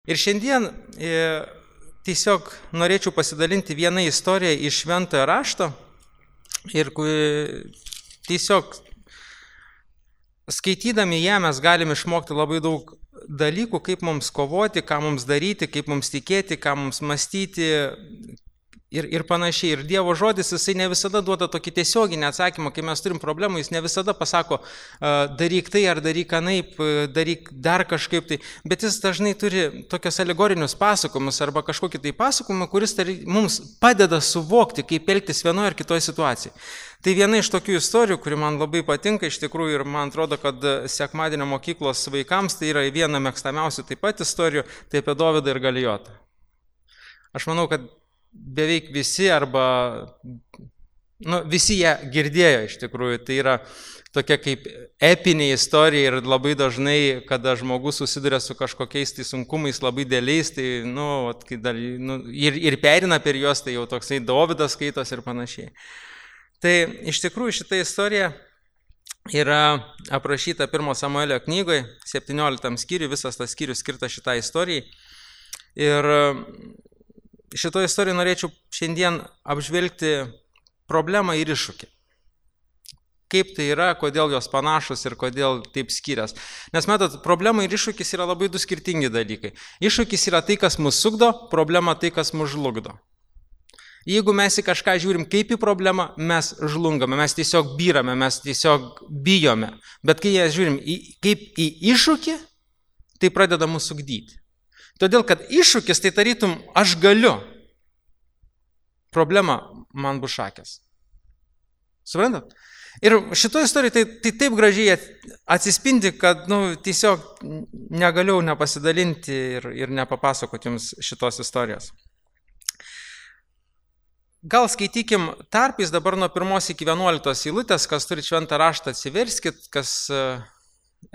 Ir šiandien tiesiog norėčiau pasidalinti vieną istoriją iš Šventojo rašto ir tiesiog skaitydami ją mes galime išmokti labai daug dalykų, kaip mums kovoti, ką mums daryti, kaip mums tikėti, ką mums mąstyti ir panašiai. Ir Dievo žodis, jisai ne visada duoda tokį tiesioginį atsakymą, kai mes turim problemų, jis ne visada pasako, daryk tai ar daryk anaip, daryk dar kažkaip tai, bet jis dažnai turi tokios alegorinius pasakojimus arba kažkokį tai pasakojimą, kuris mums padeda suvokti, kaip elgtis vienoje ar kitoje situacijoje. Tai viena iš tokių istorijų, kuri man labai patinka iš tikrųjų ir man atrodo, kad sekmadienio mokyklos vaikams tai yra viena mėgstamiausių taip pat istorijų, tai apie Dovydą ir Galijotą. Aš manau, kad beveik visi arba visi ją girdėjo iš tikrųjų. Tai yra tokia kaip epinė istorija ir labai dažnai, kada žmogus susiduria su kažkokiais tai sunkumais labai dėliais, tai ir perina per juos, tai jau toksai Dovydas skaitos ir panašiai. Tai iš tikrųjų šita istorija yra aprašyta 1 Samuelio knygoje, 17 skyriui, visas tas skyrius skirtas šitai istorijai. Ir šitoje istorijoje norėčiau šiandien apžvelgti problemą ir iššūkį. Kaip tai yra, kodėl jos panašus ir kodėl taip skirias. Nes matot, problema ir iššūkis yra labai du skirtingi dalykai. Iššūkis yra tai, kas mus sukdo, problema tai, kas mus žlugdo. Jeigu mes į kažką žiūrim kaip į problemą, mes žlungame, mes tiesiog byrame, mes tiesiog bijome. Bet kai ją žiūrim kaip į iššūkį, tai pradeda mus sukdyti. Todėl, kad iššūkis tai tarytum aš galiu. Problema man bus šakės. Suprantat? Ir šitoje istorijoje tai taip gražiai atsispindi, kad tiesiog negaliu nepasidalinti ir nepapasakoti jums šitos istorijos. Gal skaitykim tarpais dabar nuo 1 iki 11 eilutės, kas turi šventą raštą atsiverskit, kas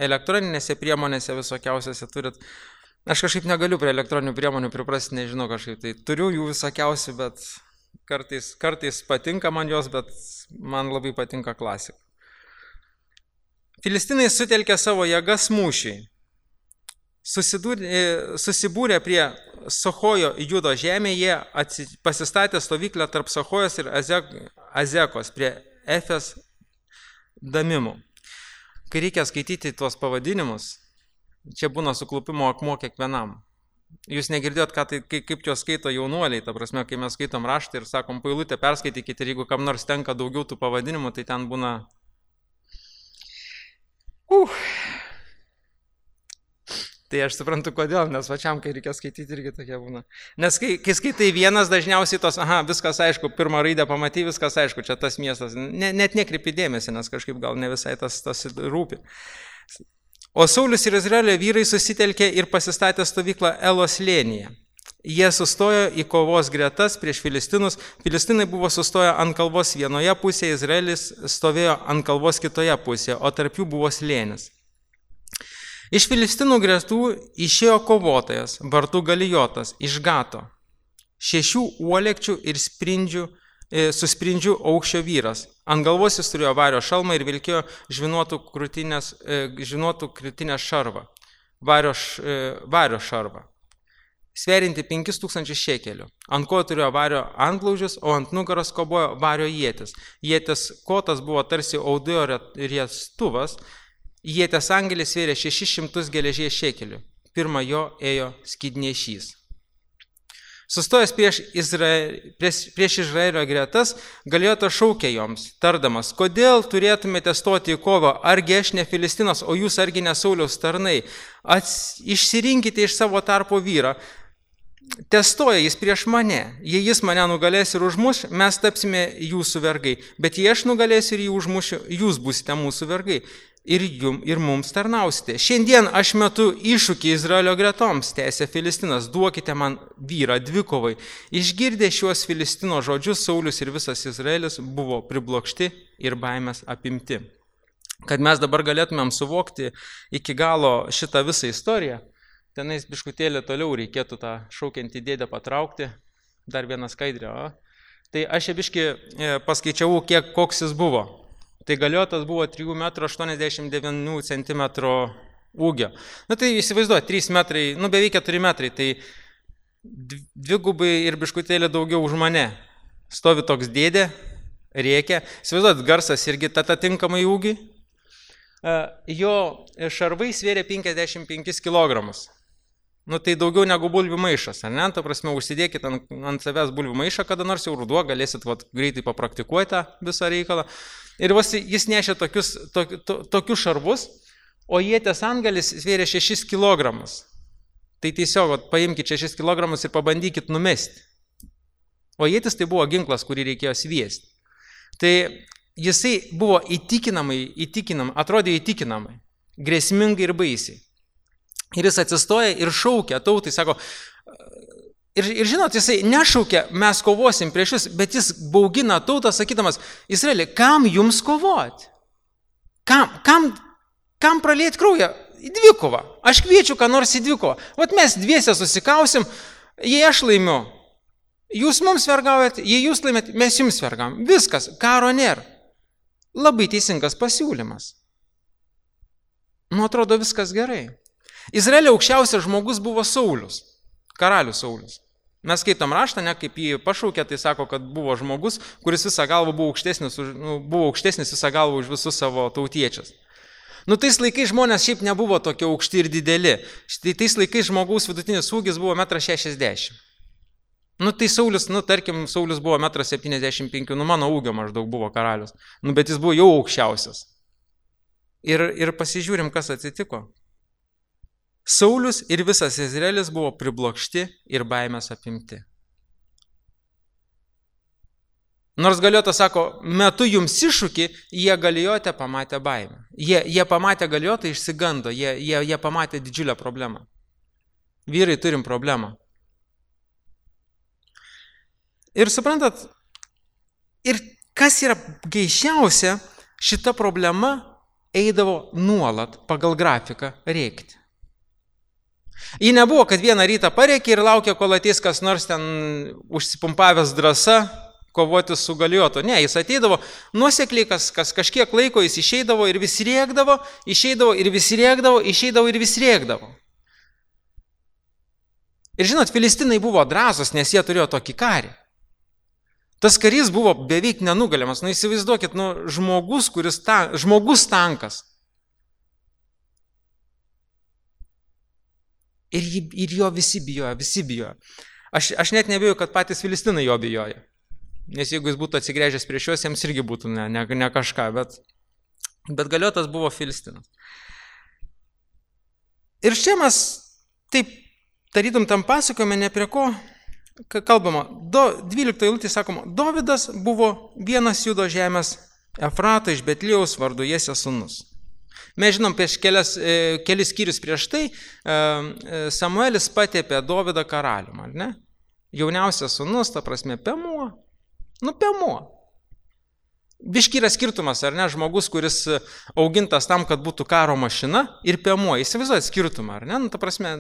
elektroninėse priemonėse visokiausiose turit. Aš kažkaip negaliu prie elektroninių priemonių priprasti, nežinau kažkaip, tai turiu jų visokiausių, bet kartais patinka man jos, bet man labai patinka klasika. Filistinai sutelkė savo jėgas mūšiai. Susibūrė prie Sochojo Judo žemėje, jie pasistatė stovyklę tarp Sochojos ir Azekos prie Efes Damimų. Kai reikia skaityti tuos pavadinimus, čia būna suklupimo akmuo kiekvienam. Jūs negirdėjot, kaip juos skaito jaunuoliai, ta prasme, kai mes skaitom raštą ir sakom, pailutę perskaitykite ir jeigu kam nors tenka daugiau tų pavadinimų, tai ten būna... Tai aš suprantu kodėl, nes pačiam, kai reikia skaityti, irgi tokie būna. Nes kai skaitai vienas, dažniausiai tos, viskas aišku, pirmą raidę pamatai, viskas aišku, čia tas miestas. Net nekreipi dėmesį, nes kažkaip gal ne visai tas rūpi. O Saulius ir Izraelio vyrai susitelkė ir pasistatė stovyklą Elos slėnyje. Jie sustojo į kovos gretas prieš filistinus. Filistinai buvo sustoję ant kalvos vienoje pusėje, Izraelis stovėjo ant kalvos kitoje pusėje, o tarp jų buvo slėnis. Iš filistinų gretų išėjo kovotojas, vardu Galijotas, iš Gato. 6 uolekčių ir su sprindžiu aukščio vyras. Ant galvos jis turėjo vario šalmą ir vilkėjo žvynuotų krūtinės šarvą, vario šarvą, sverinti 5000 šekelių. Ant ko turėjo vario antblaužius, o ant nugaros kobojo vario ietis. Ietis kotas buvo tarsi audėjo riestuvas. Ieties angelis svėrė 600 geležies šekelių. Pirma jo ėjo skydnešys. Sustojęs prieš Izraelio gretas, Galijotas šaukė joms, tardamas, kodėl turėtumėte stoti į kovą, argi aš ne Filistinas, o jūs argi ne Sauliaus tarnai. Išsirinkite iš savo tarpo vyrą. Testoja jis prieš mane. Jei jis mane nugalės ir užmuš, mes tapsime jūsų vergai. Bet jei aš nugalėsiu ir jį užmušiu, jūs būsite mūsų vergai. Ir mums tarnausite. Šiandien aš metu iššūkį Izraelio gretoms, tęsė Filistinas, duokite man vyrą dvikovai. Išgirdę šiuos Filistino žodžius, Saulius ir visas Izraelis buvo priblokšti ir baimės apimti. Kad mes dabar galėtumėm suvokti iki galo šitą visą istoriją, tenais biškutėlį toliau reikėtų tą šaukiantį dėdę patraukti, dar vieną skaidrę. Tai aš biškį paskaičiavau, koks jis buvo. Tai Galijotas buvo 3,89 cm ūgio. Tai įsivaizduoju, 3 metrai, beveik 4 metrai, tai dvigubai ir biškutėlį daugiau už mane. Stovi toks dėdė, rėkia. Įsivaizduoju, garsas irgi tinkamai ūgį. Jo šarvai svėrė 55 kg. Tai daugiau negu bulvių maišas, ar ne? Ta prasme, užsidėkit ant savęs bulvių maišą, kada nors jau ruduo, galėsit greitai papraktikuoti tą visą reikalą. Ir jis nešė tokius šarvus, o ietės antgalis svėrė 6 kg. Tai tiesiog paimkite 6 kg ir pabandykit numesti. O ietis tai buvo ginklas, kurį reikėjo sviesti. Tai jisai buvo atrodė įtikinamai, grėsmingai ir baisiai. Ir jis atsistoja ir šaukia tautai, sako, ir žinot, jisai nešaukia, mes kovosim prieš jūs, bet jis baugina tautą, sakydamas, Izraeli, kam jums kovoti? Kam pralieti kraują? Į dvikovą. Aš kviečiu, ką nors į dvikovą. Mes dviese susikausim, jei aš laimiu, jūs mums vergaujat, jei jūs laimėt, mes jums vergaujam. Viskas, karo nėra. Labai teisingas pasiūlymas. Atrodo, viskas gerai. Izraelio aukščiausias žmogus buvo Saulius, karalius Saulius. Mes skaitom raštą, kaip jį pašaukė, tai sako, kad buvo žmogus, kuris visą galvą buvo aukštesnis visą galvą už visus savo tautiečius. Tais laikais žmonės šiaip nebuvo tokie aukšti ir dideli. Tais laikais žmogaus vidutinis ūgis buvo 1,60 m. Tai Saulius, tarkim, Saulius buvo 1,75 m, mano ūgio maždaug buvo karalius. Bet jis buvo jau aukščiausias. Ir pasižiūrim, kas atsitiko. Saulius ir visas Izraelis buvo priblokšti ir baimės apimti. Nors Galiotas sako, metu jums iššūkį, jie Galiote pamatė baimę. Jie pamatė Galiotą, išsigando, jie pamatė didžiulę problemą. Vyrai turim problemą. Ir suprantat, ir kas yra geišiausia, šita problema eidavo nuolat pagal grafiką rėkti. Ji nebuvo, kad vieną rytą parėkė ir laukė, kol ateis kas nors ten užsipumpavęs drąsa kovoti su Galiotu. Ne, jis ateidavo nuosekliai, kažkiek laiko jis išeidavo ir vis rėkdavo, išeidavo ir vis rėkdavo, išeidavo ir vis rėkdavo. Ir žinot, filistinai buvo drąsūs, nes jie turėjo tokį karį. Tas karys buvo beveik nenugaliamas. Įsivaizduokit, žmogus tankas. Ir jo visi bijojo. Aš net nebijoju, kad patys filistinai jo bijojo. Nes jeigu jis būtų atsigręžęs prieš juos, jiems irgi būtų ne kažką, bet Galiotas buvo filistinas. Ir čia mes taip tarytum tam pasakojame, ne prie ko kalbama. 12 eilutė sakoma, Dovydas buvo vienas Judo žemės Efrato iš Betliejaus vardu Jesės sūnus. Mes žinom, prieš kelis skyrius prieš tai Samuelis patepė Dovydą karalium, ar ne? Jauniausias sūnus, ta prasme, Pėmuo. Pėmuo. Biški yra skirtumas, ar ne? Žmogus, kuris augintas tam, kad būtų karo mašina ir Pėmuo. Įsivaizduojat skirtumą, ar ne? Ta prasme,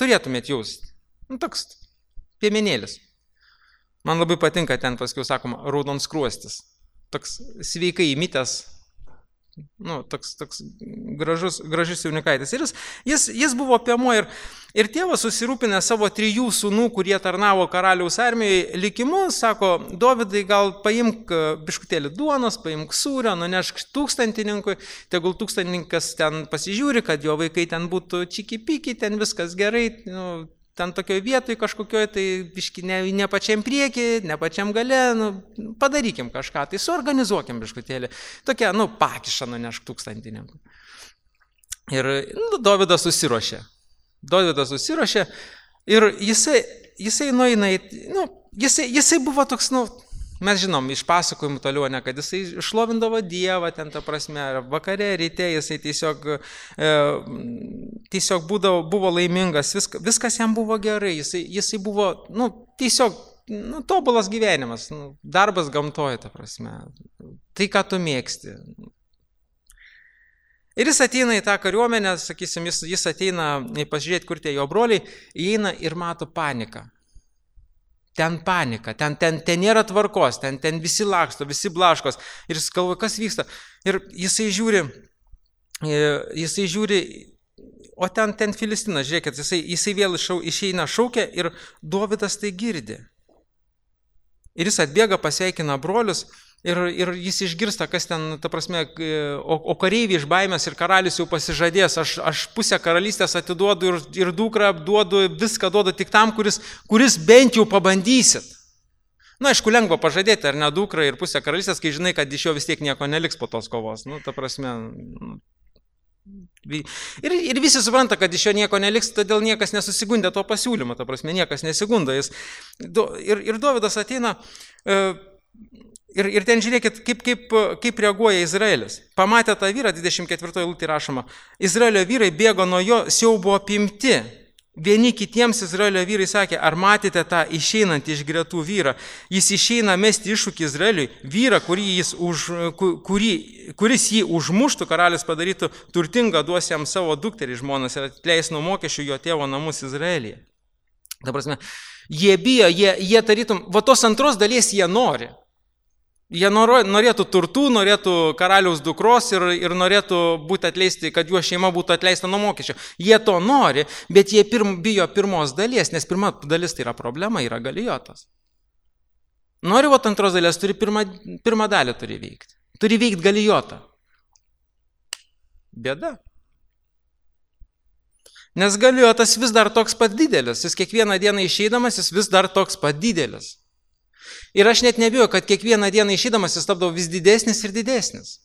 turėtumėt jausti. Toks piemenėlis. Man labai patinka ten, paskiau sakoma, raudonskruostis. Toks sveikai įmitęs. Toks gražus jaunikaitis. Ir jis buvo Pėmuo ir tėvas susirūpinę savo 3 sūnų, kurie tarnavo karaliaus armijoje likimu, sako, Dovydai, gal paimk biškutėlį duonos, paimk sūrio, nunešk tūkstantininkui, tegul tūkstantininkas ten pasižiūri, kad jo vaikai ten būtų čiki-piki, ten viskas gerai, ten tokioje vietoje kažkokioje, tai biški ne pačiam priekį, ne pačiam gale, padarykim kažką, tai suorganizuokim biškutėlį. Tokia, pakišą nunešk tūkstantininkų. Ir Dovydas susiruošė. Ir jisai nueina, jisai buvo toks, mes žinom, iš pasakojimų toliau, kad jisai šlovindavo Dievą, ten ta prasme, vakare, ryte, jisai tiesiog buvo laimingas, viskas jam buvo gerai, jisai buvo, tiesiog, tobulas gyvenimas, darbas gamtoje, ta prasme, tai, ką tu mėgsti. Ir jis ateina į tą kariuomenę, sakysim, jis ateina pasižiūrėti, kur tie jo broliai, įeina ir mato paniką. Ten panika, ten nėra tvarkos, ten visi laksto, visi blaškos. Ir jis galvoja, kas vyksta. Ir jisai žiūri, jisai žiūri, o ten Filistinas, žiūrėkit, jisai vėl išeina šaukia ir Dovydas tai girdi. Ir jis atbėga, pasveikina brolius ir jis išgirsta, kas ten, ta prasme, o kareiviai iš baimės ir karalius jau pasižadės, aš pusę karalystės atiduodu ir dukrą duodu, viską duodu tik tam, kuris bent jau pabandysit. Na, aišku, lengva pažadėti, ar ne, dukrą ir pusę karalystės, kai žinai, kad iš jo vis tiek nieko neliks po tos kovos. Nu, ta prasme... Ir visi supranta, kad iš jo nieko neliks, todėl niekas nesusigundė to pasiūlymą, ta prasme, niekas nesigunda. Ir Dovydas ateina ir ten žiūrėkit, kaip reaguoja Izraelis. Pamatė tą vyrą, 24 eilutė rašoma, Izraelio vyrai bėgo nuo jo, siaubo apimti. Vieni kitiems Izraelio vyrai sakė, ar matėte tą išeinantį iš gretų vyrą? Jis išeina mesti iššūkį Izraeliui, vyrą, kuris jį užmuštų, karalius padarytų turtingą, duos jam savo dukterį žmonas ir atleis nuo mokesčių jo tėvo namus Izraelyje. Ta prasme, jie bijo, jie tarytum, va tos antros dalies jie nori. Jie norėtų turtų, norėtų karaliaus dukros ir norėtų būti atleisti, kad jų šeima būtų atleista nuo mokesčio. Jie to nori, bet jie bijo pirmos dalies, nes pirma dalis tai yra problema, yra Galijotas. Nori, vat antros dalies, turi pirmą dalį turi veikti. Turi veikti Galijotą. Bėda. Nes Galijotas vis dar toks pat didelis. Jis kiekvieną dieną išeidamas, jis vis dar toks pat didelis. Ir aš net nebijoju, kad kiekvieną dieną išeidamas jis tapdavo vis didesnis ir didesnis.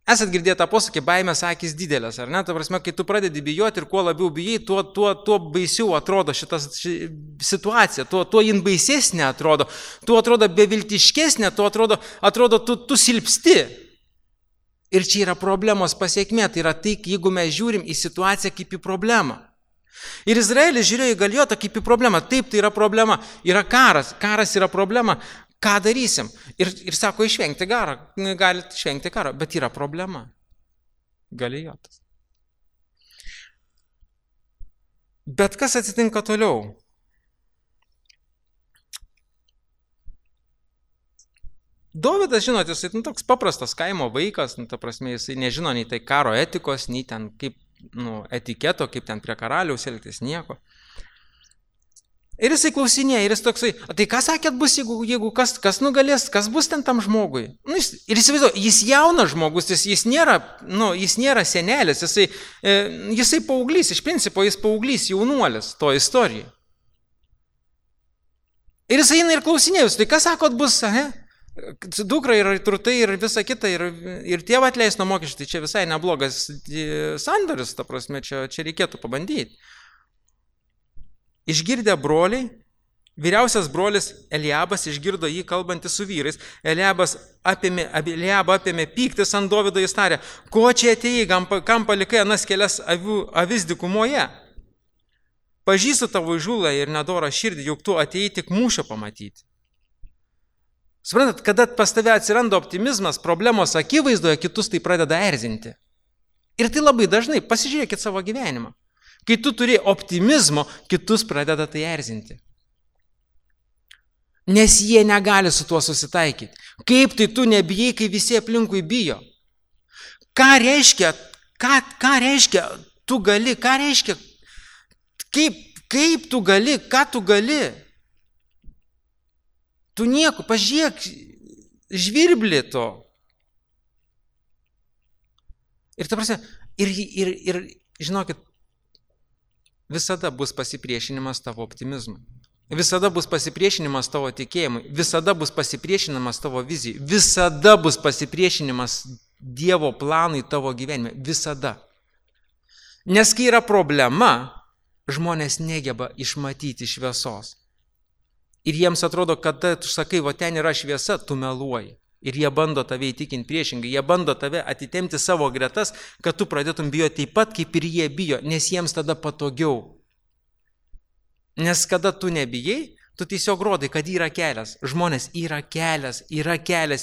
Esat girdėję tą posakį, baimės akys didelės, ar ne? Ta prasme, kai tu pradedi bijoti ir kuo labiau bijai, tuo baisiau atrodo šita situacija, tuo jin baisesnė atrodo, tuo atrodo beviltiškesnė, tuo atrodo tu silpsti. Ir čia yra problemos pasiekmė, tai yra tai, jeigu mes žiūrim į situaciją kaip į problemą. Ir Izraelis žiūrėjo į Galijotą kaip į problemą. Taip, tai yra problema. Yra karas yra problema. Ką darysim? Ir sako, išvengti karą. Galite išvengti karą, bet yra problema. Galijotas. Bet kas atsitinka toliau? Dovydas, žinot, jisai toks paprastas kaimo vaikas, ta prasme, jisai nežino nei tai karo etikos, nei ten kaip etiketo, kaip ten prie karaliaus elgtis, nieko. Ir jisai klausinėja, ir jis toksai, tai ką sakėt bus, jeigu kas nugalės, kas bus ten tam žmogui? Ir įsivaizduoju, jis jaunas žmogus, jis nėra senelis, jisai paauglys, iš principo jis paauglys, jaunuolis to istorijai. Ir jisai eina ir klausinėja, tai ką sakot bus, dukra ir turtai ir visa kita, ir tėvą atleis nuo mokesčių, tai čia visai neblogas sandoris, ta prasme, čia reikėtų pabandyti. Išgirdę broliai, vyriausias brolis Eliabas išgirdo jį kalbantį su vyrais, Eliabą apėmė pyktis ant Dovydo, jis tarė, ko čia atėjai, kam palikai anas kelias avis dykumoje? Pažįstu tavo įžūlą ir nedorą širdį, juk tu atėjai tik mūšio pamatyti. Suprantat, kada pas tave atsiranda optimizmas, problemos akivaizdoje, kitus tai pradeda erzinti. Ir tai labai dažnai, pasižiūrėkit savo gyvenimą. Kai tu turi optimizmo, kitus pradeda tai erzinti. Nes jie negali su tuo susitaikyti. Kaip tai tu nebijai, kai visi aplinkui bijo? Ką reiškia tu gali, ką reiškia, kaip tu gali, ką tu gali? Tu nieko, pažiūrėk, žvirblį to. Ir ta prasme, ir žinokit, visada bus pasipriešinimas tavo optimizmui. Visada bus pasipriešinimas tavo tikėjimui. Visada bus pasipriešinimas tavo vizijai. Visada bus pasipriešinimas Dievo planui tavo gyvenime. Visada. Nes kai yra problema, žmonės negeba išmatyti šviesos. Ir jiems atrodo, kad tu sakai, va ten yra šviesa, tu meluoji. Ir jie bando tave įtikinti priešingai, jie bando tave atitemti savo gretas, kad tu pradėtum bijoti taip pat, kaip ir jie bijo, nes jiems tada patogiau. Nes kada tu nebijai, tu tiesiog rodai, kad yra kelias. Žmonės, yra kelias,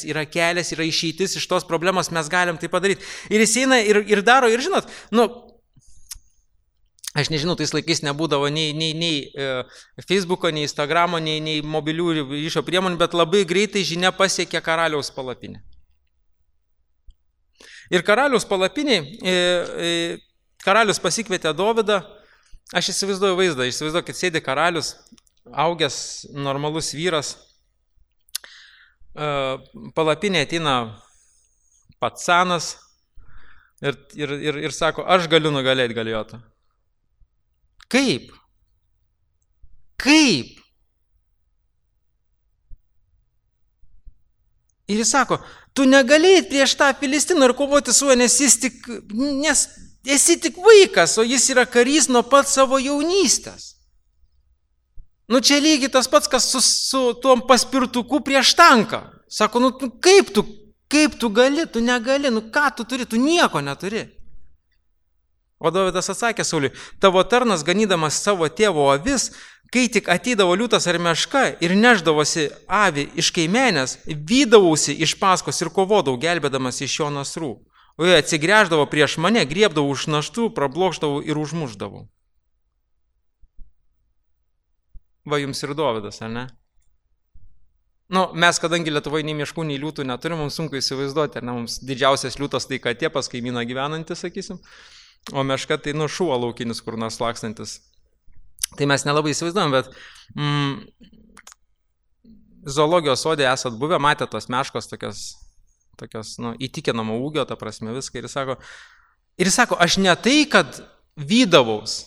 yra išeitis iš tos problemos, mes galim tai padaryti. Ir jis eina ir daro, ir žinot, aš nežinau, tais laikais nebūdavo nei Facebooko, nei Instagramo, nei mobilių ryšio priemonių, bet labai greitai žinia pasiekė karaliaus palapinę. Ir karalius palapiniai, karalius pasikvietė Dovydą, aš įsivaizduoju vaizdą, įsivaizduokit, sėdi karalius, augęs normalus vyras, palapinė ateina patsanas ir sako, aš galiu nugalėti Galijotą. Kaip? Kaip? Ir jis sako, tu negalėjai prieš tą Filistiną ir kovoti su juo, nes esi tik vaikas, o jis yra karys nuo pat savo jaunystės. Nu čia lygiai tas pats, kas su tuom paspirtuku prieš tanką. Sako, nu kaip tu gali, tu negali, nu ką tu turi, tu nieko neturi. O Dovydas atsakė Sauliui, tavo tarnas ganydamas savo tėvo avis, kai tik ateidavo liūtas ar meška ir neždavosi avį iš kaimenės, vydavausi iš paskos ir kovodavau, gelbėdamas iš jo nasrų. O jie atsigręždavo prieš mane, griebdavau už naštų, prablokšdavau ir užmušdavau. Va jums ir Dovydas, ar ne? Nu, mes, kadangi Lietuvoje nei miškų, nei liūtų neturim, mums sunku įsivaizduoti, ar ne, mums didžiausias liūtas tai katė pas kaimyną gyvenantis, sakysim, o meška tai šuo laukinis, kur nors lakstantis. Tai mes nelabai įsivaizduojam, bet zoologijos sode esat buvę, matė tos meškos tokios įtikinamo ūgio, ta prasme viską. Ir jis sako, aš ne tai, kad vydavaus,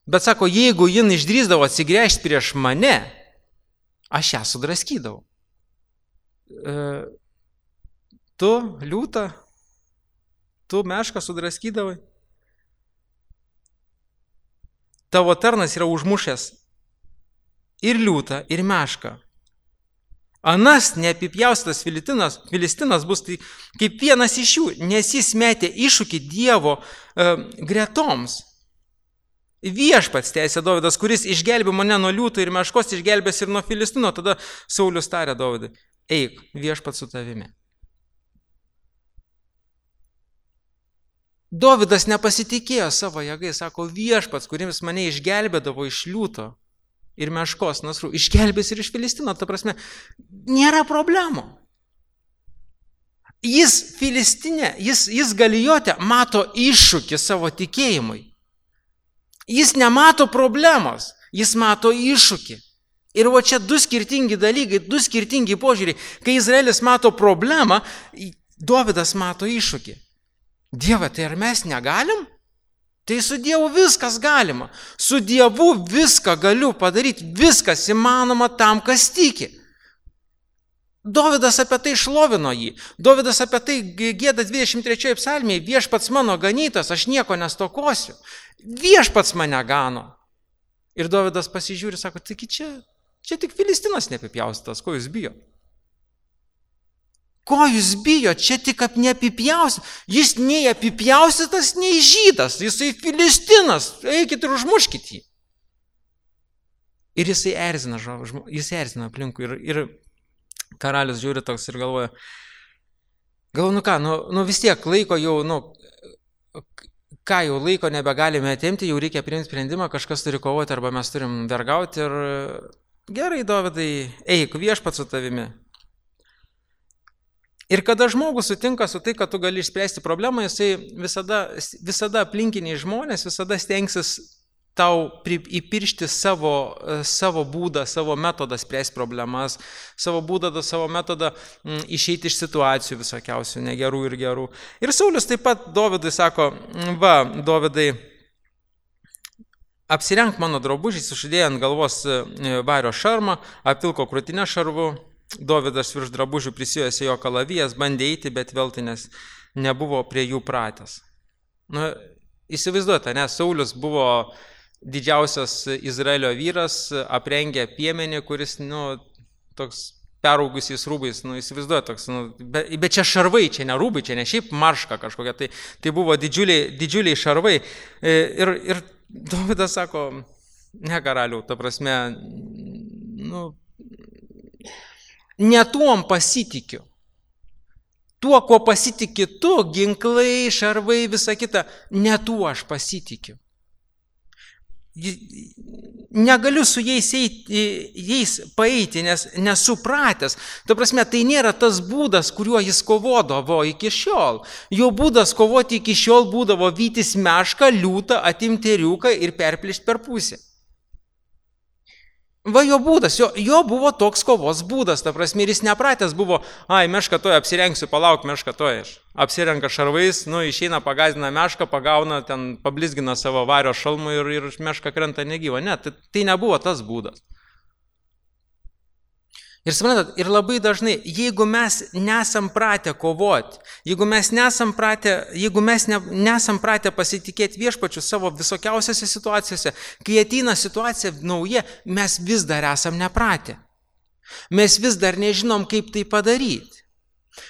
bet sako, jeigu jin išdrįsdavo atsigręžti prieš mane, aš ją sudraskydavau. Tu, liūtą, tu mešką sudraskydavai. Tavo tarnas yra užmušęs ir liūtą, ir mešką. Anas neapipjaustytas Filistinas bus tai kaip vienas iš jų, nes jis metė iššūkį Dievo gretoms. Viešpats, tęsė Dovydas, kuris išgelbė mane nuo liūtų ir meškos, išgelbės ir nuo Filistino. Tada Saulius tarė Dovydui, eik, viešpats su tavimi. Dovydas nepasitikėjo savo jėgai, sako, viešpats, kuris mane išgelbėdavo iš liūto ir meškos nasrų, išgelbės ir iš Filistino, ta prasme, nėra problemų. Jis Filistinė, jis Galijote mato iššūkį savo tikėjimui. Jis nemato problemos, jis mato iššūkį. Ir va čia du skirtingi dalykai, du skirtingi požiūriai. Kai Izraelis mato problemą, Dovydas mato iššūkį. Dieve, tai ar mes negalim? Tai su Dievu viskas galima. Su Dievu viską galiu padaryti, viskas įmanoma tam, kas tiki. Dovydas apie tai šlovino jį. Dovydas apie tai gieda 23 psalmėje, viešpats mano ganytas, aš nieko nestokosiu. Viešpats mane gano. Ir Dovydas pasižiūri, sako, taigi čia tik Filistinas neapipjaustytas, ko jūs bijo? Ko jūs bijo? Čia tik neapipjaustytas. Jis nei apipjaustytas, nei žydas. Jisai Filistinas. Eikit ir užmuškit jį. Ir jisai erzina aplinkui. Ir karalius žiūri toks ir galvoja, vis tiek laiko jau, ką jau laiko nebegalime atimti, jau reikia priimti sprendimą, kažkas turi kovoti arba mes turim vergauti ir gerai, Dovydai, eik, viešpats su tavimi. Ir kada žmogus sutinka su tai, kad tu gali išspręsti problemą, jisai visada aplinkiniai žmonės visada stengsis tau įpiršti savo būdą, savo metodą spręsti problemas, savo būdą, savo metodą išeiti iš situacijų visokiausių, negerų ir gerų. Ir Saulius taip pat Dovydui sako, va, Dovydai, apsirenk mano drabužiais, uždėjo ant galvos vario šarmą, apvilko krūtinę šarvu. Dovydas virš drabužių prisijojęs jo kalavijas, bandė eiti, bet veltui, nes nebuvo prie jų pratęs. Įsivaizduojate, nes Saulius buvo didžiausias Izraelio vyras, aprengė piemenį, kuris, toks peraugusiais rūbais, įsivaizduojate, toks, bet čia šarvai, čia ne rūbai, čia ne šiaip marška kažkokia, tai buvo didžiuliai šarvai. Ir Dovydas sako, ne karaliau, ta prasme, ne tuom pasitikiu. Tuo, kuo pasitiki tu, ginklai, šarvai, visa kita, ne tuo aš pasitikiu. negaliu su jais paeiti, nes nesupratęs. Ta prasme, tai nėra tas būdas, kuriuo jis kovodavo iki šiol. Jo būdas kovoti iki šiol būdavo vytis mešką, liūtą, atimti ėriuką ir perplėšti per pusę. Va jo būdas, jo buvo toks kovos būdas, ta prasme, ir jis nepratęs buvo, mešką toj apsirengsiu, palauk mešką toj, apsirenka šarvais, išeina, pagazina mešką, pagauna, ten pablizgina savo vario šalmų ir meška krenta negyva. Ne, tai nebuvo tas būdas. Ir suprantat, ir labai dažnai, jeigu mes nesam pratę kovoti, jeigu mes nesam pratę pasitikėti viešpačiu savo visokiausiose situacijose, kai ateina situacija nauja, mes vis dar esam nepratę. Mes vis dar nežinom, kaip tai padaryti.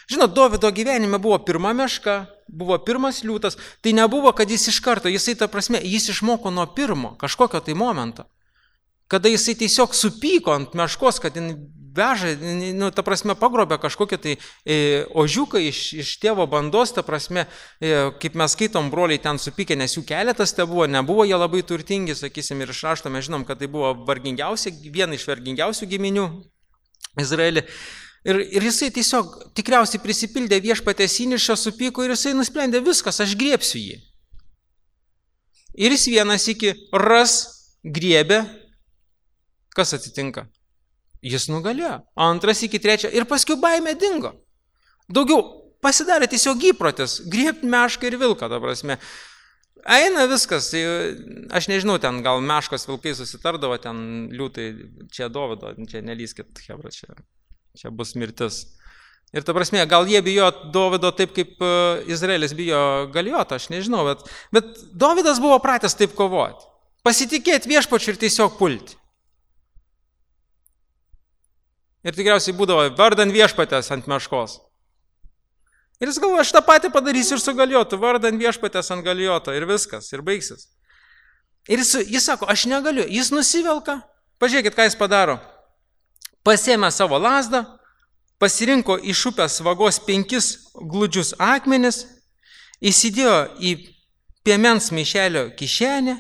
Žinot, Dovydo gyvenime buvo pirma meška, buvo pirmas liūtas, tai nebuvo, kad jis iš karto, jis išmoko nuo pirmo kažkokio tai momento. Kada jisai tiesiog supyko ant meškos, kad jis veža, ta prasme, pagrobė kažkokią tai ožiuką iš tėvo bandos, ta prasme, kaip mes skaitom, broliai ten supykė, nes jų keletas te buvo, nebuvo jie labai turtingi, sakysim, ir iš rašto mes žinom, kad tai buvo viena iš vargingiausių giminių Izraelį. Ir jisai tiesiog tikriausiai prisipildė viešpatės įniršio, supyko ir jisai nusprendė viskas, aš griebsiu jį. Ir jis vienas iki griebė, kas atsitinka? Jis nugalėjo. Antras iki trečio ir paskui baimė dingo. Daugiau pasidarė tiesiog įprotis, griebti mešką ir vilką, ta prasme. Eina viskas, aš nežinau, ten gal meškos vilkai susitardavo, ten liūtai, čia Dovydo, čia nelyskit, hebra, čia bus mirtis. Ir ta prasme, gal jie bijo Dovydo taip, kaip Izraelis bijo Galijoto, aš nežinau, bet Dovydas buvo pratęs taip kovoti. Pasitikėti viešpačiu ir tiesiog pulti. Ir tikriausiai būdavo vardan viešpatės ant meškos. Ir jis galvoja, aš tą patį padarysiu ir su Galijotu, vardan viešpatės ant Galijoto ir viskas, ir baigsis. Ir jis sako, aš negaliu, jis nusivelka, pažiūrėkit, ką jis padaro. Pasėmė savo lazdą, pasirinko iš upės vagos 5 gludžius akmenis, įsidėjo į piemens maišelio kišenę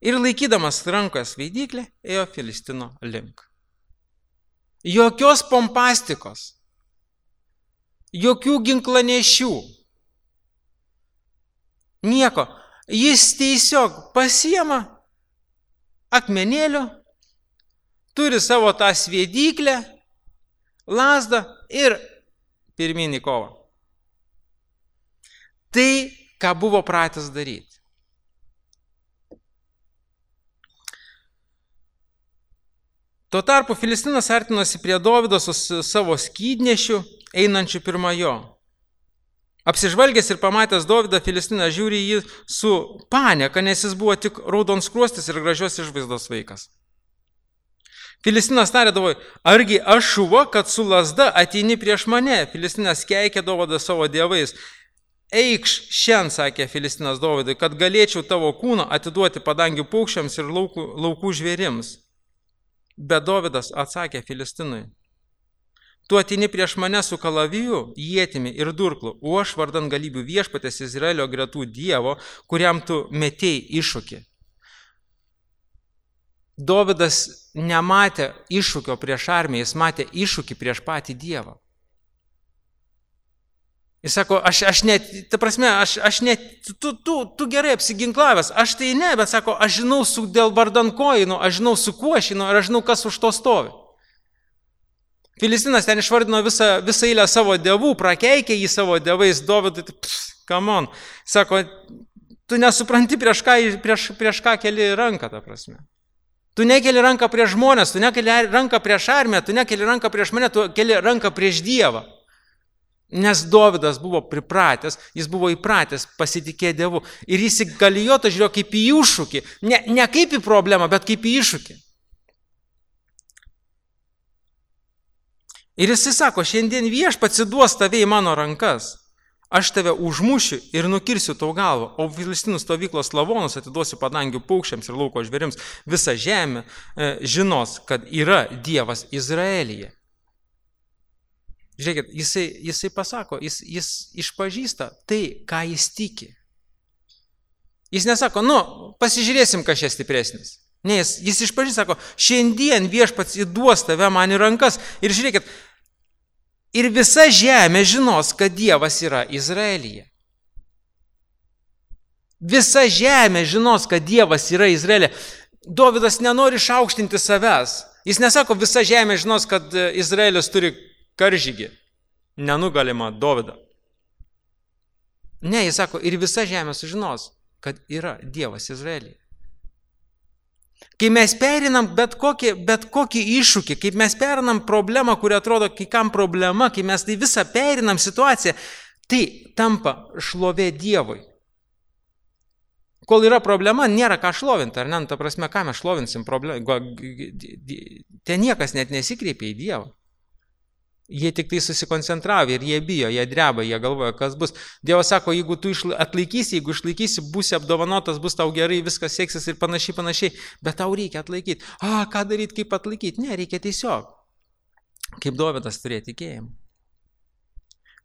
ir laikydamas rankoje svaidyklę, ėjo Filistino link. Jokios pompastikos, jokių ginklanešių, nieko. Jis tiesiog pasiema akmenėlių, turi savo tą svaidyklę, lazdą ir pirminį kovą. Tai, ką buvo pratęs daryti. Tuo tarpu Filistinas artinosi prie Dovydo su savo skydnešiu, einančiu pirma jo. Apsižvalgęs ir pamatęs Dovydą, Filistinas žiūri jį su panieka, nes jis buvo tik raudonskruostis ir gražios išvaizdos vaikas. Filistinas tarė Dovydui, argi aš šuva, kad su lazda ateini prieš mane? Filistinas keikė Dovydą savo dievais. Eikš šiandien, sakė Filistinas Dovydui, kad galėčiau tavo kūną atiduoti padangių paukščiams ir laukų žvėrims. Bet Dovydas atsakė Filistinui, tu ateini prieš mane su kalaviju, ietimi ir durklu, o aš vardan galybių viešpatės Izraelio gretų Dievo, kuriam tu metėjai iššūkį. Dovydas nematė iššūkio prieš armiją, jis matė iššūkį prieš patį Dievą. Jis sako, tu gerai apsiginklavęs, aš tai ne, bet sako, aš žinau dėl vardan kojų, aš žinau su kuo aš žinau ir aš žinau, kas už to stovi. Filistinas ten išvardino visą eilę savo dievų, prakeikė jį savo dievais, Dovydui, come on. Sako, tu nesupranti prieš ką keli ranką, ta prasme. Tu nekeli ranką prieš žmonės, tu nekeli ranką prieš armiją, tu nekeli ranką prieš mane, tu keli ranką prieš Dievą. Nes Dovydas buvo pripratęs, jis buvo įpratęs pasitikėti Dievu. Ir jis į Galijotą žiūrėjo kaip į iššūkį. Ne kaip į problemą, bet kaip į iššūkį. Ir jis sako, šiandien viešpats duos tave į mano rankas. Aš tave užmušiu ir nukirsiu tau galvą, o Filistinų stovyklos lavonus atiduosiu padangių paukščiams ir lauko žvėrims. Visa žemė žinos, kad yra Dievas Izraelyje. Žiūrėkit, jisai pasako, jis išpažįsta tai, ką jis tiki. Jis nesako, pasižiūrėsim, kas čia stipresnis. Ne, jis iš pradžių sako, šiandien viešpats įduos tave man į rankas. Ir žiūrėkit, ir visa žemė žinos, kad Dievas yra Izraelyje. Visa žemė žinos, kad Dievas yra Izraelyje. Dovydas nenori išaukštinti savęs. Jis nesako, visa žemė žinos, kad Izraelis turi karžygį. Nenugalimą Dovydą. Ne, jis sako, ir visa žemė sužinos, kad yra Dievas Izraelyje. Kai mes perinam bet kokį iššūkį, kai mes perinam problemą, kuri atrodo kai kam problema, kai mes tai visą perinam situaciją, tai tampa šlovė Dievui. Kol yra problema, nėra ką šlovinti, ar ne? Ta prasme, ką mes šlovinsim problemą? Ten niekas net nesikreipia į Dievą. Jie tik tai susikoncentravo ir jie bijo, jie dreba, jie galvoja, kas bus. Dievas sako, jeigu tu atlaikysi, jeigu išlaikysi, būsi apdovanotas, bus tau gerai, viskas seksis ir panašiai, bet tau reikia atlaikyti. Ką daryti, kaip atlaikyti? Ne, reikia tiesiog, kaip Dovydas turėti tikėjimą.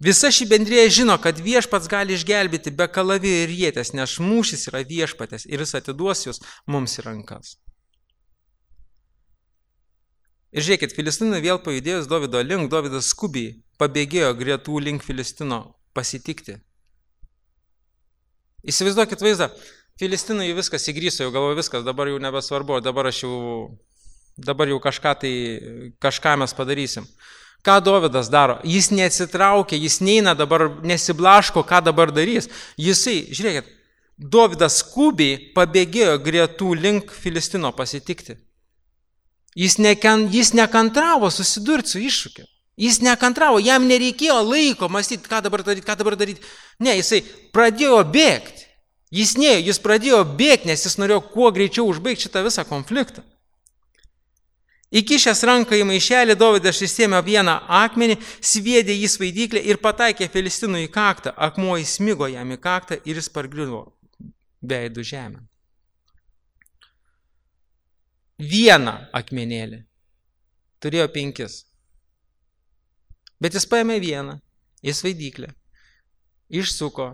Visa ši bendrija žino, kad viešpats gali išgelbėti be kalavijo ir ietės, nes mūšis yra viešpatės ir jis atiduos jūs mums į rankas. Ir žiūrėkit, Filistinui vėl pajudėjus Dovydo link, Dovydas skubiai pabėgėjo gretų link Filistino pasitikti. Įsivaizduokit vaizdą, Filistinui viskas įgryso, jau galvo viskas, dabar jau nebesvarbu, dabar jau kažką mes padarysim. Ką Dovydas daro? Jis neatsitraukia, jis neina dabar, nesiblaško, ką dabar darys. Jisai, žiūrėkit, Dovydas skubiai pabėgėjo gretų link Filistino pasitikti. Jis nekantravo susidurti su iššūkiu. Jis nekantravo, jam nereikėjo laiko mąstyti, ką dabar daryti. Ne, jisai pradėjo bėgti. Jis pradėjo bėgti, nes jis norėjo kuo greičiau užbaigti šitą visą konfliktą. Įkišęs ranką į maišelį, Dovydas išsėmė vieną akmenį, sviedė jį svaidyklę ir pataikė Filistinui į kaktą. Akmuo įsmigo jam į kaktą ir jis pargriuvo veidu žemę. Vieną akmenėlį. Turėjo 5. Bet jis paėmė vieną į svaidyklę. Išsuko.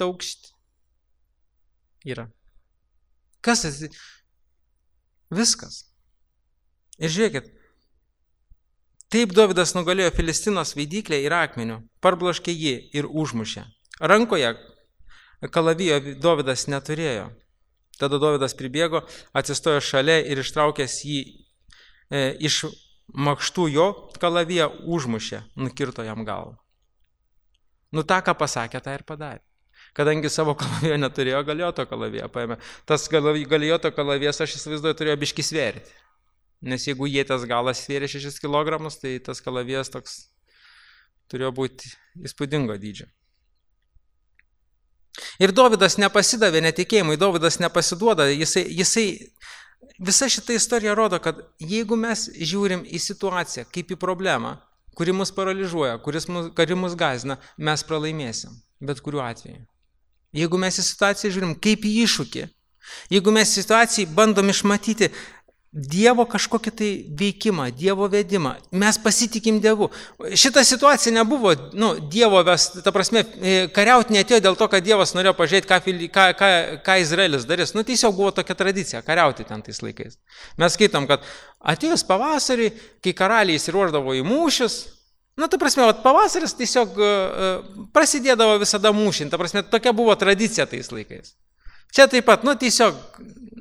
Taukšt. Yra. Kas tas? Viskas. Ir žiūrėkit. Taip Dovydas nugalėjo Filistino svaidyklę ir akmeniu. Parbloškė jį ir užmušė. Rankoje kalavijo Dovydas neturėjo. Tada Dovydas pribėgo, atsistojo šalia ir ištraukęs jį iš makštų jo kalaviją užmušė, nukirto jam galvą. Ta, ką pasakė, tą ir padarė. Kadangi savo kalavijo neturėjo, Galijoto kalaviją paėmė. Tas Galijoto kalavijas, aš įsivaizduoju, turėjo biškį svėrti. Nes jeigu ieties galas svėrė 6 kg, tai tas kalavijas toks turėjo būti įspūdingo dydžio. Ir Dovydas nepasidavė netikėjimui, Dovydas nepasiduoda, visa šita istorija rodo, kad jeigu mes žiūrim į situaciją kaip į problemą, kuri mus paralyžuoja, kuri mus gąsdina, mes pralaimėsim, bet kuriuo atveju. Jeigu mes į situaciją žiūrim kaip į iššūkį, jeigu mes į situaciją bandom išmatyti Dievo kažkokį tai veikimą, Dievo vedimą, mes pasitikim Dievu. Šita situacija nebuvo, Dievo ta prasme, kariauti neatėjo dėl to, kad Dievas norėjo pažiūrėti, ką Izraelis darys. Tiesiog buvo tokia tradicija, kariauti ten tais laikais. Mes skaitom, kad atėjus pavasarį, kai karaliai įsiruošdavo į mūšius, ta prasme, pavasaris tiesiog prasidėdavo visada mūšint, ta prasme, tokia buvo tradicija tais laikais. Čia taip pat, tiesiog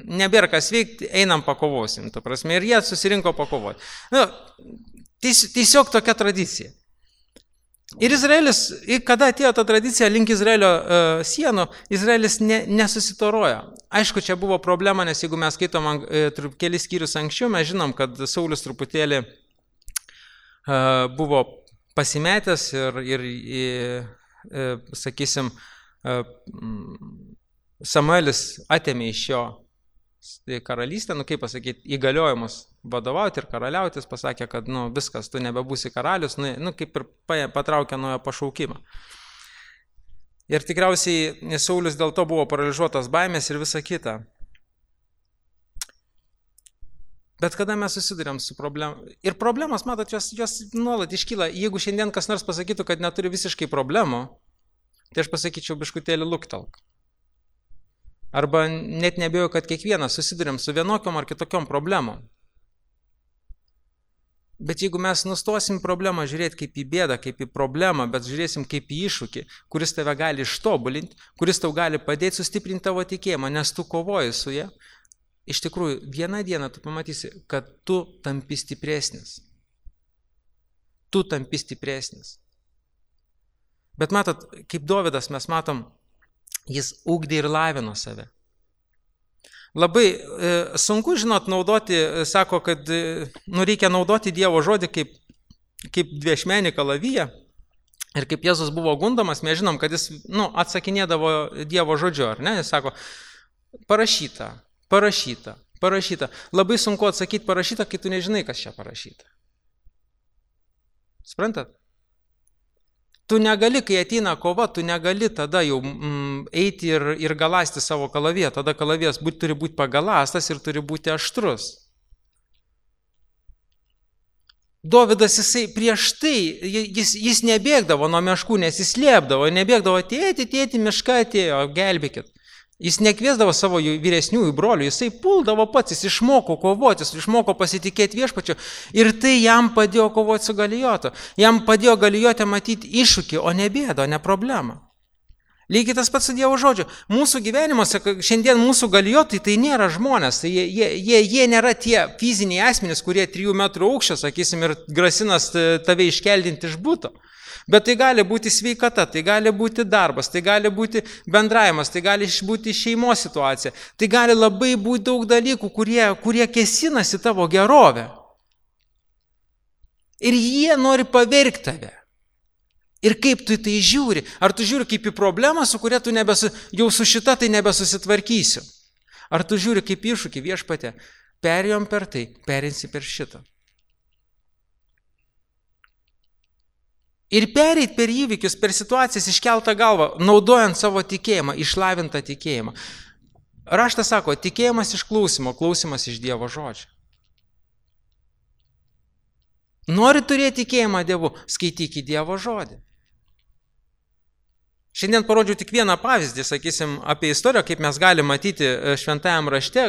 nebėra kas veikti, einam pakovosim, ta prasme, ir jie susirinko pakovoti. Tiesiog tokia tradicija. Ir Izraelis, kada atėjo ta tradicija link Izraelio sienų, Izraelis nesusitorojo. Aišku, čia buvo problema, nes jeigu mes skaitom kelis skyrius anksčiau, mes žinom, kad Saulius truputėlį buvo pasimetęs ir sakysim, Samuelis atėmė iš jo karalystę, kaip pasakyti, įgaliojimus vadovauti ir karaliautis, pasakė, kad viskas, tu nebebūsi karalius, kaip ir patraukė nuo jo pašaukimą. Ir tikriausiai Saulius dėl to buvo paralyžiuotas baimės ir visa kita. Bet kada mes susidurėm su problemom, ir problemos, matot, jos nuolat iškyla, jeigu šiandien kas nors pasakytų, kad neturi visiškai problemų, tai aš pasakyčiau biškutėlį luktelk. Arba net nebejoju, kad kiekvienas susidurėm su vienokiom ar kitokiom problemom. Bet jeigu mes nustosim problemą žiūrėti kaip į bėdą, kaip į problemą, bet žiūrėsim kaip į iššūkį, kuris tave gali ištobulinti, kuris tau gali padėti sustiprinti tavo tikėjimą, nes tu kovoji su ja, iš tikrųjų, vieną dieną tu pamatysi, kad tu tampi stipresnis. Tu tampi stipresnis. Bet matot, kaip Dovydas mes matom, jis ugdė ir lavino save. Labai sunku, žinot, naudoti, sako, kad reikia naudoti Dievo žodį kaip dviešmenį kalaviją. Ir kaip Jėzus buvo gundomas, mes žinom, kad jis atsakinėdavo Dievo žodžiu, ar ne? Jis sako, parašyta. Labai sunku atsakyti parašyta, kai tu nežinai, kas čia parašyta. Suprantat? Tu negali, kai ateina kova, tu negali tada jau eiti ir galasti savo kalaviją. Tada kalavijas turi būti pagalastas ir turi būti aštrus. Dovydas, jisai prieš tai, jis nebėgdavo nuo meškų, nes jis slėpdavo, nebėgdavo, tėti, miška atėjo, gelbėkit. Jis nekviesdavo savo vyresniųjų brolių, jisai puldavo pats, jis išmoko kovoti, jis išmoko pasitikėti Viešpačiu ir tai jam padėjo kovoti su Galijotu. Jam padėjo Galijotę matyti iššūkį, o ne bėdą, o ne problemą. Lygiai tas pats su Dievo žodžiu. Mūsų gyvenimuose, šiandien mūsų Galijotai tai nėra žmonės, tai jie nėra tie fiziniai asmenys, kurie 3 metrų aukščio, sakysim, ir grasinas tave iškeldinti iš buto. Bet tai gali būti sveikata, tai gali būti darbas, tai gali būti bendravimas, tai gali būti šeimos situacija. Tai gali labai būti daug dalykų, kurie kėsinasi tavo gerovę. Ir jie nori pavergti tave. Ir kaip tu tai žiūri? Ar tu žiūri kaip į problemą, su kuria tu jau su šita tai nebesusitvarkysiu? Ar tu žiūri kaip iššūkį Viešpatie? Perėjom per tai, perinsi per šitą. Ir pereit per įvykius, per situacijas iškeltą galvą, naudojant savo tikėjimą, išlavintą tikėjimą. Raštas sako, tikėjimas iš klausimo, klausimas iš Dievo žodžio. Nori turėti tikėjimą Dievu, skaityk į Dievo žodį. Šiandien parodžiau tik vieną pavyzdį, sakysim, apie istoriją, kaip mes galim matyti šventajam rašte,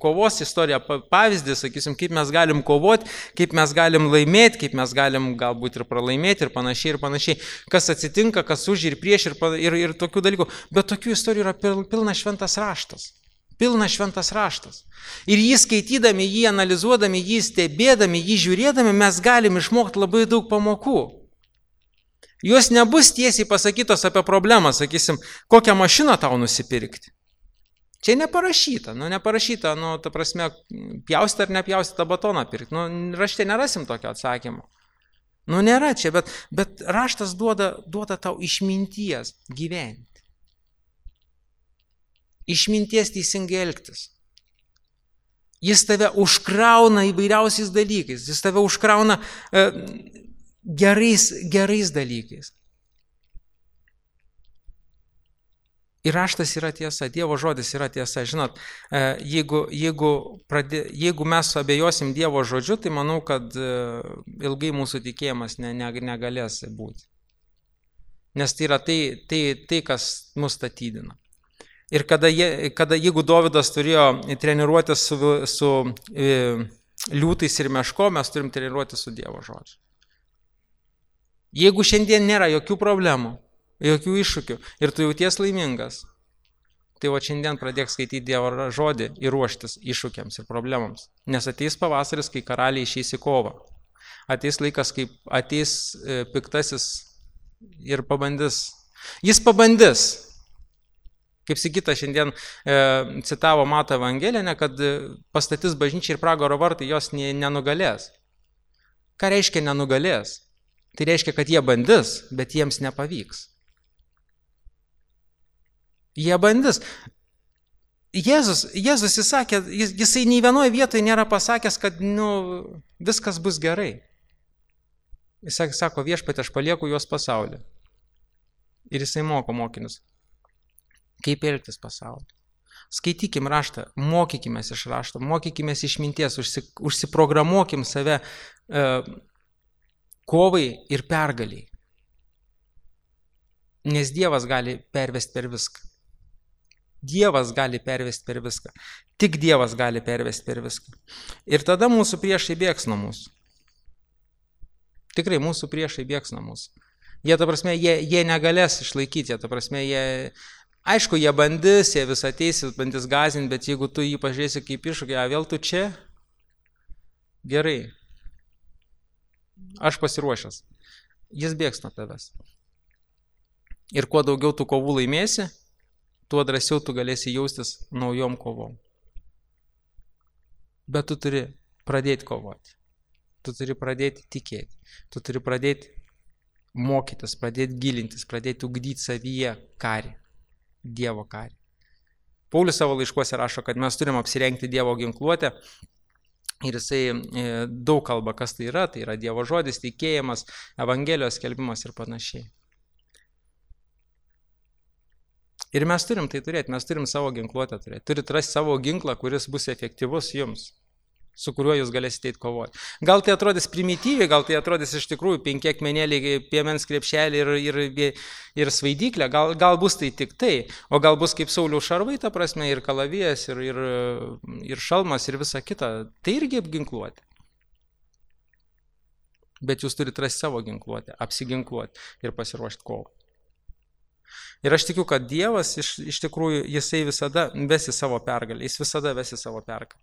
kovos istoriją, pavyzdį, sakysim, kaip mes galim kovoti, kaip mes galim laimėti, kaip mes galim galbūt ir pralaimėti ir panašiai. Kas atsitinka, kas už ir prieš ir tokių dalykų. Bet tokių istorijų yra pilnas šventas raštas. Pilnas šventas raštas. Ir jį skaitydami, jį analizuodami, jį stebėdami, jį žiūrėdami, mes galim išmokti labai daug pamokų. Jos nebus tiesiai pasakytos apie problemą, sakysim, kokią mašiną tau nusipirkti. Čia neparašyta, ta prasme, pjausti ar nepjausti tą batoną pirkti. Rašte nerasim tokio atsakymo. Nėra čia, bet raštas duoda tau išminties gyventi. Išminties teisingai elgtis. Jis tave užkrauna įvairiausiais dalykais, jis tave užkrauna gerais dalykais. Ir raštas yra tiesa, Dievo žodis yra tiesa. Žinot, jeigu mes abejosim Dievo žodžiu, tai manau, kad ilgai mūsų tikėjimas negalės būti. Nes tai yra tai kas mus statydina. Ir jeigu Dovydas turėjo treniruotis su liūtais ir meško, mes turim treniruotis su Dievo žodžiu. Jeigu šiandien nėra jokių problemų, jokių iššūkių ir tu jauties laimingas, tai šiandien pradėk skaityti Dievo žodį ir ruoštis iššūkiams ir problemams. Nes ateis pavasaris, kai karaliai išeis į kovą. Ateis laikas, kai ateis piktasis ir pabandys. Jis pabandys. Kaip Sigita šiandien citavo Mato Evangeliją, kad pastatys bažnyčią ir pragaro vartai jos nenugalės. Ką reiškia nenugalės? Tai reiškia, kad jie bandys, bet jiems nepavyks. Jie bandys. Jėzus jis sakė, jisai nei vienoje vietoje nėra pasakęs, kad viskas bus gerai. Jis sako, Viešpatie, aš palieku juos pasaulį. Ir jisai moko mokinius, kaip elgtis pasaulį. Skaitykim raštą, mokykimės iš rašto, mokykimės iš minties, užsiprogramuokim save kovai ir pergaliai. Nes Dievas gali pervesti per viską. Dievas gali pervesti per viską. Tik Dievas gali pervesti per viską. Ir tada mūsų priešai bėgs nuo mūsų. Tikrai mūsų priešai bėgs nuo mūsų. Jie, ta prasme, jie negalės išlaikyti, ta prasme, aišku, jie bandys, jie vis ateis, bandys gąsdinti, bet jeigu tu jį pažiūrėsi kaip iššūkį, vėl tu čia, gerai, aš pasiruošęs, jis bėgs nuo tavęs. Ir kuo daugiau tu kovų laimėsi, tuo drąsiau tu galėsi jaustis naujom kovom. Bet tu turi pradėti kovoti, tu turi pradėti tikėti, tu turi pradėti mokytis, pradėti gilintis, pradėti ugdyti savyje karį, Dievo karį. Paulius savo laiškuose rašo, kad mes turim apsirengti Dievo ginkluotę ir jisai daug kalba, kas tai yra Dievo žodis, tikėjimas, Evangelijos skelbimas ir panašiai. Ir mes turim tai turėti, mes turim savo ginkluotę turėti. Turit rasti savo ginklą, kuris bus efektyvus jums, su kuriuo jūs galėsite eiti kovoti. Gal tai atrodys primityviai, gal tai atrodys iš tikrųjų 5 akmenėliai, piemens krepšelį ir svaidyklė, gal bus tai tik tai, o gal bus kaip Sauliaus šarvai, ta prasme, ir kalavijas, ir šalmas, ir visa kita. Tai irgi apginkluoti. Bet jūs turite rasti savo ginkluotę, apsiginkluoti ir pasiruošti kovą. Ir aš tikiu, kad Dievas iš tikrųjų, jisai visada vesi savo pergalę, jis visada vesi savo pergalę.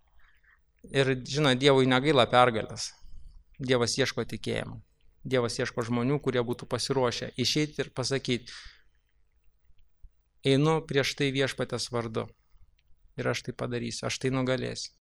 Ir, žinot, Dievui negaila pergalės. Dievas ieško tikėjimo. Dievas ieško žmonių, kurie būtų pasiruošę išeiti ir pasakyti, einu prieš tai Viešpaties vardu. Ir aš tai padarysiu, aš tai nugalėsiu.